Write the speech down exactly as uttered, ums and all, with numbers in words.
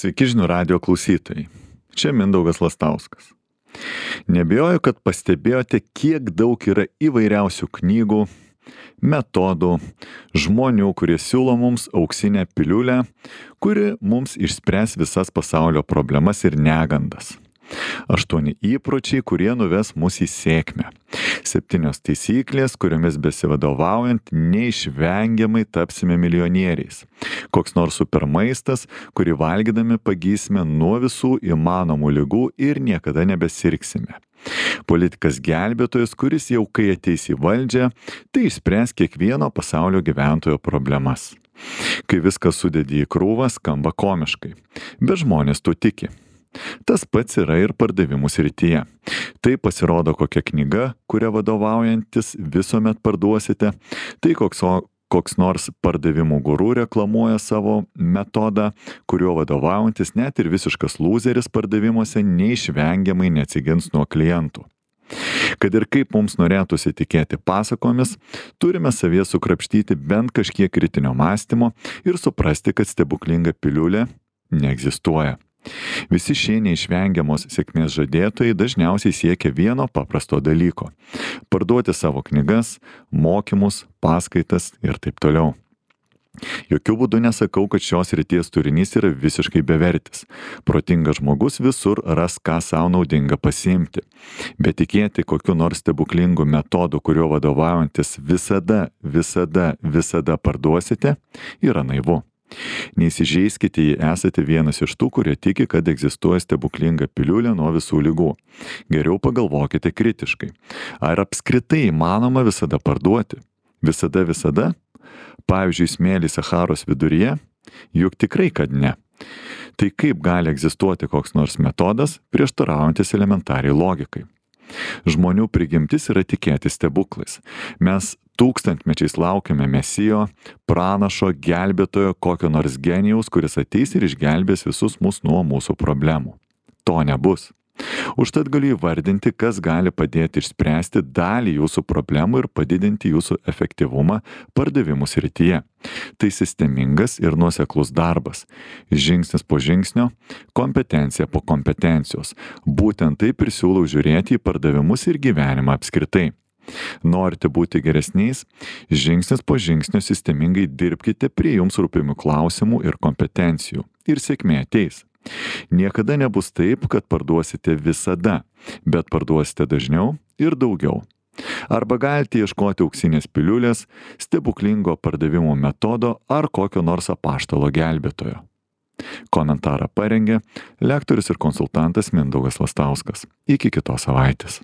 Sveiki žinių radijo klausytojai. Čia Mindaugas Lastauskas. Nebijoju, kad pastebėjote, kiek daug yra įvairiausių knygų, metodų, žmonių, kurie siūlo mums auksinę piliulę, kuri mums išspręs visas pasaulio problemas ir negandas. Aštuoni įpročiai, kurie nuves mus į sėkmę. Septynios taisyklės, kuriomis besivadovaujant neišvengiamai tapsime milijonieriais. Koks nors supermaistas, kurį valgydami pagysime nuo visų įmanomų ligų ir niekada nebesirgsime. Politikas gelbėtojas, kuris jau kai ateis į valdžią, tai išspręs kiekvieno pasaulio gyventojo problemas. Kai viską sudedi į krūvą, skamba komiškai, bet žmonės tuo tiki. Tas pats yra ir pardavimų srityje. Tai pasirodo kokia knyga, kuria vadovaujantis visuomet parduosite, tai koks, koks nors pardavimų guru reklamuoja savo metodą, kuriuo vadovaujantis net ir visiškas lūzeris pardavimuose neišvengiamai neatsigins nuo klientų. Kad ir kaip mums norėtųsi tikėti pasakomis, turime savyje sukrapštyti bent kažkiek kritinio mąstymo ir suprasti, kad stebuklinga piliulė neegzistuoja. Visi šie neišvengiamos sėkmės žadėtojai dažniausiai siekia vieno paprasto dalyko – parduoti savo knygas, mokymus, paskaitas ir taip toliau. Jokių būdų nesakau, kad šios srities turinys yra visiškai bevertis. Protingas žmogus visur ras ką savo naudinga pasiimti. Bet tikėti kokiu nors stebuklingu metodu, kuriuo vadovaujantis visada, visada, visada parduosite, yra naivu. Neįsižeiskite, jei esate vienas iš tų, kurie tiki, kad egzistuoja stebuklinga piliulė nuo visų ligų. Geriau pagalvokite kritiškai. Ar apskritai įmanoma visada parduoti? Visada, visada? Pavyzdžiui, smėlį Sacharos viduryje? Juk tikrai, kad ne. Tai kaip gali egzistuoti koks nors metodas, prieštaraujantis elementariai logikai? Žmonių prigimtis yra tikėti stebuklais. Mes tūkstantmečiais laukiame mesijo, pranašo, gelbėtojo, kokio nors genijaus, kuris ateis ir išgelbės visus mus nuo mūsų problemų. To nebus. Užtat galiu įvardinti, kas gali padėti išspręsti dalį jūsų problemų ir padidinti jūsų efektyvumą pardavimų srityje. Tai sistemingas ir nuoseklus darbas. Žingsnis po žingsnio, kompetencija po kompetencijos. Būtent taip ir siūlau žiūrėti į pardavimus ir gyvenimą apskritai. Norite būti geresniais, žingsnis po žingsnio sistemingai dirbkite prie jums rūpimų klausimų ir kompetencijų. Ir sėkmė ateis. Niekada nebus taip, kad parduosite visada, bet parduosite dažniau ir daugiau. Arba galite ieškoti auksinės piliulės, stebuklingo pardavimų metodo ar kokio nors apaštalo gelbėtojo. Komentarą parengė lektorius ir konsultantas Mindaugas Lastauskas. Iki kitos savaitės.